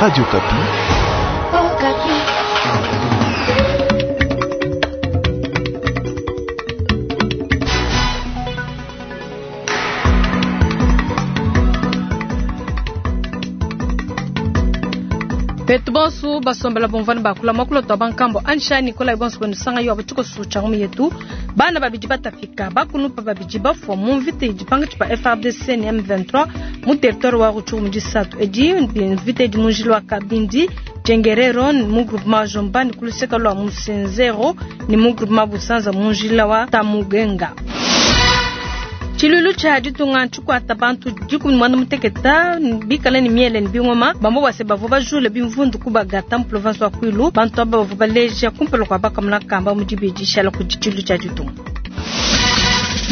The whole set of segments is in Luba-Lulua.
Radio Okapi. Okapi. Betu bonso basombela bomvani bakula makula twa bankambo ansha Nikolai bonso banusanga yo abatiko sucha ngumi yetu bana babidi batafika bakunupa babidi bafwa mu mvita idi pangatshi pa FARDC ne M23 mu territoire wa Rutshuru mu disatu edi mvita idi mu njila wa Kabindi Tchengerero mu groupement Jomba ni kuluseka lwa Musenzero ni mu groupement Busanza mu njila wa Tamugenga. Tshiluilu tshia ditunga tshikuata bantu dikumi muanda muteketa bikale ne miele ne bingoma bambo base bavua bajule bimvundu kubagata mu province wa Kwilu. Bantu aba bavua baleja kumpala kua bakamuna kamba mu dibidi shala kudi tshiluilu tshia ditunga.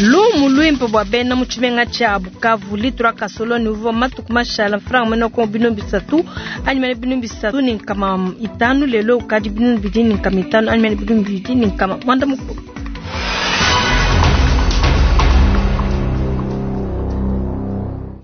Lumu luimpe bua bena mu tshimenga tshia Bukavu litura kasoloni uvua matuku mashala mfranga mene ko binu bisatu anyi mene binu bisatu ne nkama itanu lelo ukadi binu bidi ne nkama itanu anyi mene binu bidi ne nkama muanda mukulu.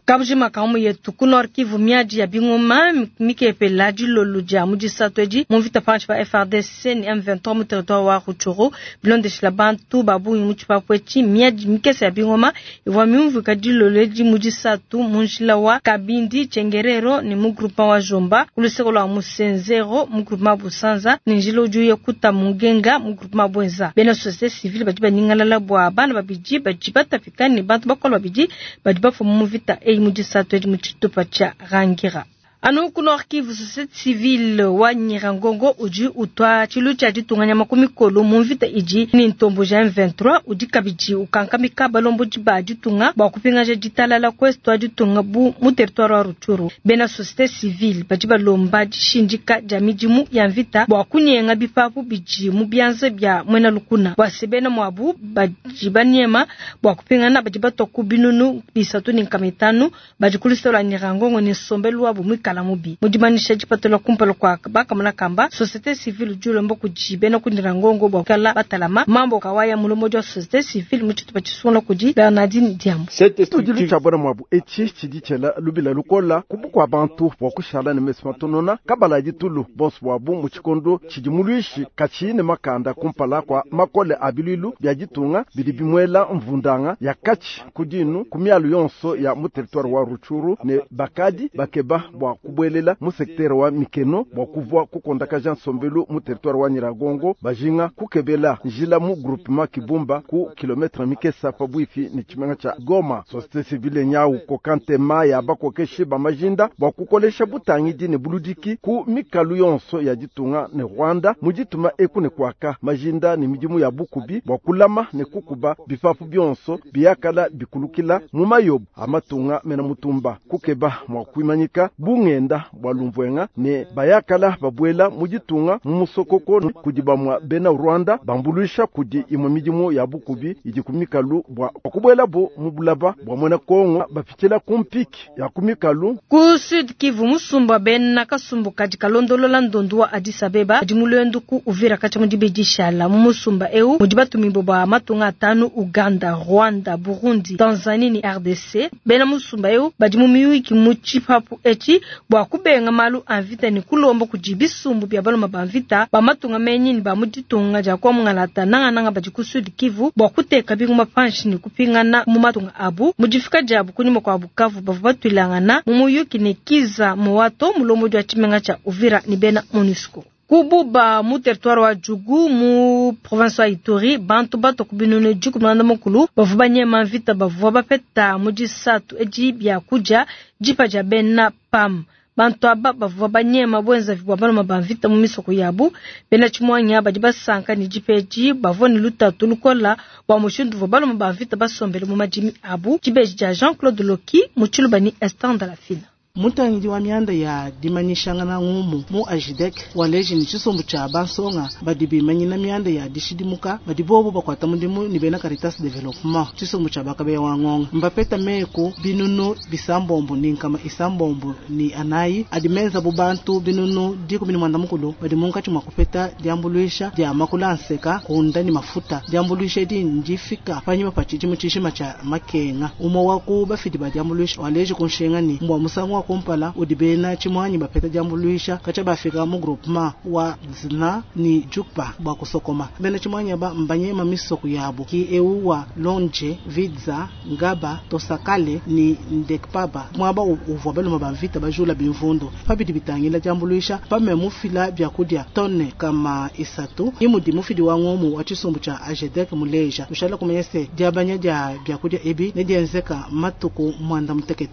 Kabujima kamu yetu ku Nord Kivu miadi ya bingoma mikepela dilolo dia mu disatu edi mu mvita panshi pa FARDC ne M23 mu territoire wa Rutshuru bilondeshila bantu ba bungi mu tshipapu etshi miadi mikese ya bingoma ivua miumvuika dilolo edi mu disatu mu njila wa Kabindi Tchengerero ne mu groupement wa Jomba ku luseke lua Musenzero mu groupement Busanza ne njila udi uya kuta Mugenga mu groupement Bwenza. Bena société civile badi baningalala bua bana babidi badi batapika ne bantu bakolo babidi badi bafua mu mvita eyi mu disatu edi mu tshitupa tshia Rangira. Anu ku Nord Kivu, société civile wa Nyirangongo udi utwa tshilu tshia ditunga nyama ku mikolo mu mvita idi ne ntombo ja M23 udi kabidi ukankamika balombodi ba ditunga bua kupingaja ditalala ku est wa ditunga bu mu territoire wa Rutshuru. Bena société civile badi balomba dishindika dia midimu ya mvita bua kunyenga bipapu bidi mu bianza bia muena lukuna bua se bena muabu badi banyema bua kupingana badi batua ku binunu bisatu ne nkama itanu badi ku luseke lua Nyirangongo ne nsombelu wabu muikala mubi. Mu dimanyisha dipatula kumpala kua bakamona kamba société civile udi ulomba kudi bena ku Nyirangongo bua kukala batalama mambo kawaya mulombodi wa société civile mu tshitupa tshisungula kudi Bernardine Diambo. Tudilu tshia bana muabu etshi tshidi tshiela lubila lukola ku bukua bantu bua kushala ne mesu matonona kabala ditulu bonso buabu mu tshikondo tshidi muluishi katshiyi ne makanda kumpala kua makole a biluilu bia ditunga bidi bimuela mvundanga ya katshi ku dinu ku mialu yonso ya mu territoire wa Rutshuru ne bakadi bakeba bua kubuelela mu secteur wa Mikeno bua kuvua kukondakaja nsombelu mu territoire wa Nyiragongo bajinga kukebela njila mu groupement Kibumba ku kilometre mikesa pabuipi ne tshimenga tshia Goma. Société civile nyau kokantema ya bakokeshi ba majinda bua kukolesha butangidi ne buludiki ku mikalu yonso ya ditunga ne Rwanda mu dituma eku ne kuaka majinda ne midimu ya bukubi bua kulama ne kukuba bipapu bionso biyakala bikulukila mu mayobo amatunga mena mutumba kukeba mua kuimanyika bungenda bua lumvuenga ne bayakala babuela mu ditunga mu musokoko kudi bamua bena Rwanda bambuluisha kudi imue midimu ya bukubi idi ku mikalu bua kubuelabo mu bulaba bua muena Kongo bapitshila ku mpiki ya ku mikalu. Ku Sud Kivu musumba bena kasumbu kadi kalondolola ndondu wa Addis Abeba adi mu luendu ku Uvira katshia mu dibidi shala mu musumba eu mudi batumibue ba matunga atanu Uganda, Rwanda, Burundi, Tanzanie ne RDC. Bena musumba eu badi mu miyuki mu tshipapu etshi bua kubenga malu a mvita ne kulomba kudi bisumbu bia baluma ba mvita ba matunga menyi ne ba mu ditunga dia kwa mungalata nangananga badi ku Sud Kivu bua kuteka bingoma panshi ne kupingana mu matunga abu. Mu difika diabu kunyima kua Bukavu bavua batuilangana mu muyuki ne Kiza Mowato mulombodi wa tshimenga tshia Uvira ne bena MONUSCO. Kububa mu territoire wa Djugu mu province wa Ituri bantu bato ku binunu dikumi na mukulu bavua banyema mvita bavua bapeta mu disatu edi bia kudia dipa dia bena PAM. Bantu aba bavua banyema bwenzavi bua baluma ba mvita mu misoko yabu. Bena tshimuanya badi basanka ne dipa edi bavua ne lutatu lukola bua mushindu uvua baluma ba mvita basombele mu madimi abu. Dibeji dia Jean-Claude Loki mu Tshiluba ne Esther Ndalafina. Mutangidi wa mianda ya dimanyishangana ngumu mu AJDEC waleji ne tshisumbu tshia bansonga badi bimanyina mianda ya dishidimuka badi bobo bakuata mudimu ne bena Caritas Development tshisumbu tshia bakabeya wa ngonga mbapeta meku binunu bisambombo ni nkama isambombo ni anayi adi menza bu bantu binunu dikumi ni mwanda mukulu badi munkatshi mua kupeta diambuluisha dia makula anseka kunda ni mafuta diambuluisha edi ndifika panyima pa tshidimu tshishima tshia makenga umwe wa ku bafidi ba diambuluisha waleji kunshinga ni mbwa musangu. wa kumpala udi bena tshimuangi bapeta diambuluisha katshia bafika mu groupement wa Dzna ni Djukpa bua kusokoma. Bena tshimuangi aba mbanyema misoko yabo ki eu wa Lonje, Vidza, Ngaba, Tosakale ni Ndekpaba muaba uvua balume ba mvita bajula bimvundu. Pa bidi bitangila diambuluisha PAM mufila biakudia tonne 300 imudi mufidi wa ngumu wa tshisumbu tshia AJDEC muleja tushala kumanya se diabanya dia biakudia ebi nedienzeka matuku 96.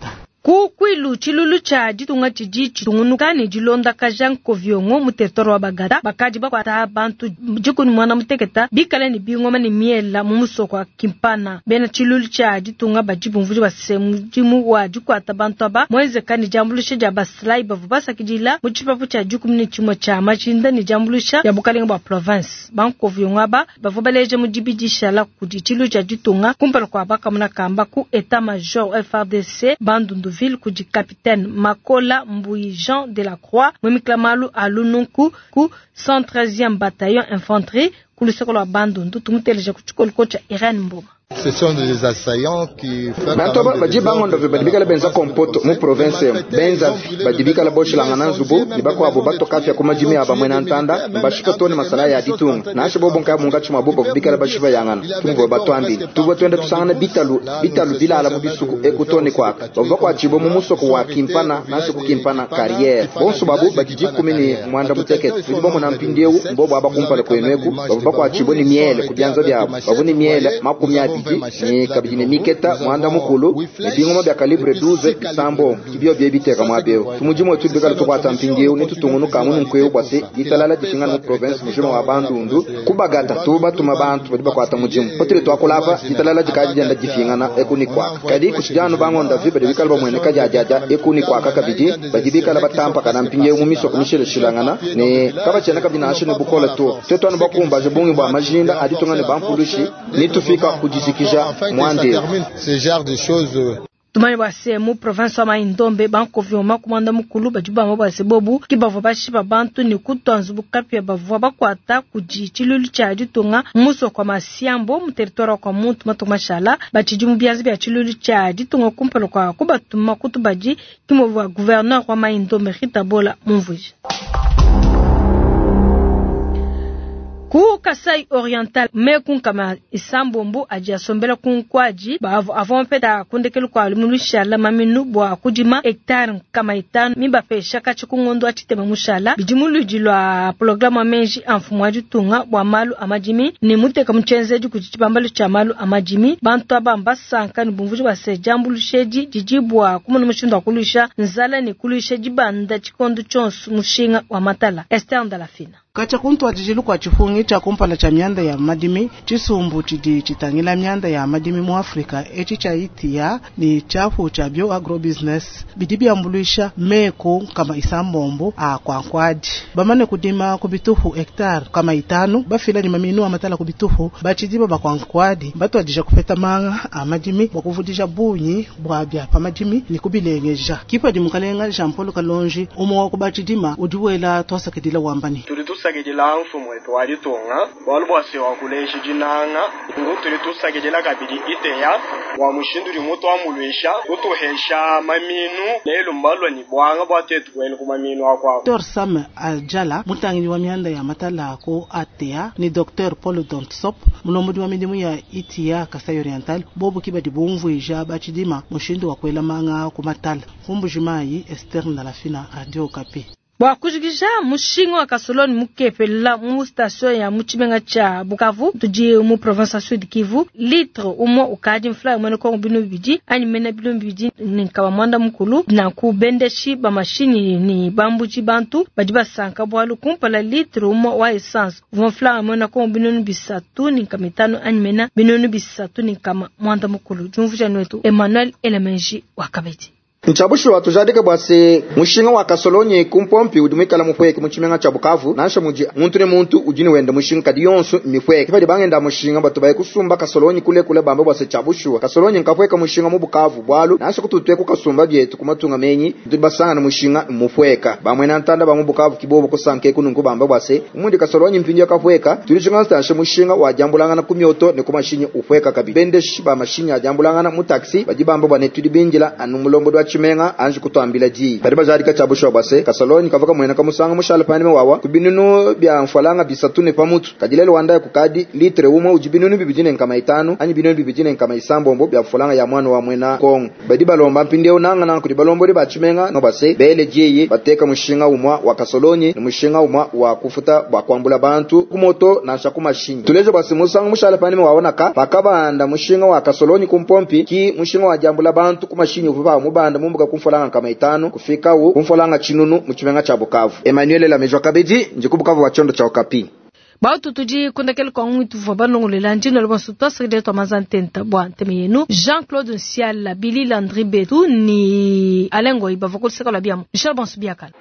Ku Kwilu tshilulu tshia ditunga tshidi tshitungunuka ne dilondakaja nkoviongo mu territoire wa Bagata bakadi bakuata bantu 16 bikale ne bingoma ne miela mu musoko wa Kimpana. Bena tshilulu tshia ditunga badi bumvuija base mudimu wa dikuata bantu aba muenzeka ne diambuluisha dia basilai bavua basakidila mu tshipapu tshia 11 tshia majinda ne diambuluisha dia bukalenge bua province. Bankoviongo aba bavua baleja mu dibidishala kudi tshilulu tshia ditunga kumpala kua bakamuna kamba ku etat major FARDC Bandundu ville kudi capitaine Makola Mbuyi Jean de la Croix mwimikila malu a lununku ku 113e bataillon infanterie ku luseke lua Bandundu. Tumuteleja ku tshikoliko tshia Irene Mboma. Ce sont des assaillants qui font Bantu aba badi bangondove badi bikala benza kompoto mu province emu benzavi badi bikala boshilangana nzubu ne bakuabu batokafya ku madimi aba mwena ntanda mbashipa tone masala ya ditunga nansha bobo nkaya mungatshi mwa bobo bikala bashipa yangana tumvua batwambile tuvua twenda tusangana bitalu bitalu bilala mu bisuku ekutone kwaka bavua bakuatshibua mu musoko wa Kimpana nansha ku Kimpana carrière bonso babu badi 16 tudi bamona mpindieu mbobo aba kumpala kwenu eku bavua bakuatshibua ne miele ku bianza biabu bavua ne miele 20 ni kabidi ne miketa mwanda mukulu ne bingoma bya calibre 12 bisambo kibio bye biteka mwabeo tumujimu wetu bikala tukwata mpindieu ne tutungunuka mu nkweu bwase ditalala dishingana mu province mujima wa Bandundu kubagata tuba tuma bantu badi bakwata mujimu patule twakulava ditalala dikaji dienda difingana ekuni kwaka kadi kushijano bangonda vi badi bikala bamwene kajajaja ekuni kwaka kabidi badi bikala batampa kana mpindieu mu misoko mishileshilangana ne kabachena kabidi nashe ne bukola to tetwana bakumbaje bungi bwa majinda aditungane bampulushi nitufika kujizikija ce genre de choses. Tumanye bwase mu province wa Mai-Ndombe bankovi oma kumanda mukulu badi bamba bwase bobu ki bavua bashipa bantu ne kutwa nzubu kapia bavua bakuata kudi tshilulu tshia ditunga musoko wa Masiambo mu territoire wa Muntu matuku mashala batshidi mu bianza bia tshilulu tshia ditunga kumpala kua kubatuma kutubadi kimuvua gouverneur wa Mai-Ndombe Rita Bola mumvuija. Ku Kasai Oriental meku 6 adi asombela ku nkwaji avua mpeta kundekelu kua lumushala maminu bua kudima hectare 5 mibapesha katshi ku ngondo atshitema mushala bidi muludi lwa programme amenji a mfumu wa ditunga bua malu a madimi ne muteka mutshenzedi kudi tshibambalu tshia malu a madimi bantu aba mbasanka ne bumvuji bua se diambulushedi didi bua kumona mushindu wa kuluisha nzala ne kuluisha dibanda tshikondo tshionso mushinga wa matala. Esther Ndalafina. Katshia kuntwadijilu kua tshipungi tshia kumpala tshia mianda ya madimi tshisumbu tshidi tshitangila mianda ya madimi mu Afrika etshi tshia ITIA ni tshiapu tshia bio agrobusiness bidi biambuluisha meku 6 a kwa nkwadi bamane kudima ku bitupu hectare 5 bafila ni maminu a matala ku bitupu batshidi ba kwa nkwadi batwadija kupeta manga a madimi bua kuvudija bunyi bua bia pa madimi ni kubilengeja kipa di mukalenga Jean Paul Kalonji umwe wa kubatshidima udi wela twasakidila wambani tusakidila mfumu wetu wa ditunga bualu bua se wa kuleja dinanga ngu tuli tusakidila kabidi iteya wa mushindu udi mutu amuluisha kutuhesha maminu lelu mbalwa ni bwanga bua tetu kwenu ku maminu akwabo. Dr Sam Aljala mutangili wa mianda ya matala ku ATA ni Dr Paul Dontsop mulombodi wa midimu ya ITIA Kasai Oriental bobu kibadi bumvuija batshidima mushindu wa kuela manga ku matala kumbujimayi Esther Ndalafina, Radio Okapi. Bua kujikija mushinga wa kasoloni mukepela mu station ya mutshimenga tshia Bukavu tudi mu province ya Sud Kivu litre umwe ukadi mfula mwene kongo 200 anyi mena 290 nanku bendeshi ba mashini ni bambuji bantu badi basanka bwalu kumpala litre umwe wa essence uvua mfula mwene kongo 305 anyi mena 390. Jumvuja nwetu Emmanuel Elemenji wakabedi. Nchabushwa tujadike bwase mushinga wa kasolonyi kumpompi udi mwikala mupweke mu tshimenga tshia Bukavu nansha muji muntu ne muntu udi ne wenda mushinga kadi yonso mipweke badi bangenda mushinga batu baye kusumba kasolonyi kule kule bamba bwase chabushwa kasolonyi nkapweka mushinga mu Bukavu bwalu nansha kututwe kukasumba byetu kumatunga menyi tudi basanga na mushinga mupweka bamwe na ntanda ba mu Bukavu kibobo kusanke kunungu bamba bwase umundi kasolonyi mpinjo kapweka tulishinga stansha mushinga wa jambulangana kumyoto ne kumashinyi upweka kabi bendeshi ba mashinyi ajambulangana mu taxi badi bamba bwane tudi binjila anu mulombo dwa tshimenga anji kutuambila diyi. Badi bajadika tshia bushuwa bua se, kasolonyi kavua kamueneka musangu mushale panyima wawa ku binunu bia mfualanga 3 ne pamutu. Kadi lelu wa ndaya kukadi litre umue udi 2500 anyi 2600 bia mfualanga ya muana wa muena Kongo. Badi balomba mpindieu nangananga kudi balombodi ba tshimenga no bua se, bele diyi bateka mushinga umue wa kasolonyi ne mushinga umue wa kufuta bua kuambula bantu ku moto nansha ku mashinyi. Tuleje bua se, musangu mushale panyima waonaka pakabanda mushinga wa kasolonyi ku mpompi ki mushinga wa diambula bantu ku mashinyi uvua pa mubanda mumbuka ku mfualanga 500 kufikawu ku mfualanga 1000 mu tshimenga tshia Bukavu. Emmanuel Lamejwa kabidi ndi ku Bukavu wa tshiondo tshia Okapi. Bautu tudi kundakele kwa ngwitu vwa banongolela ndino lwa twa sekretariat twa mazantenta bwa nteme yenu Jean-Claude Nsiala, Billy Landry Betu ni Alain Ngoyi bavua kuluseka lwa biamu. Michel Bonsu biakala.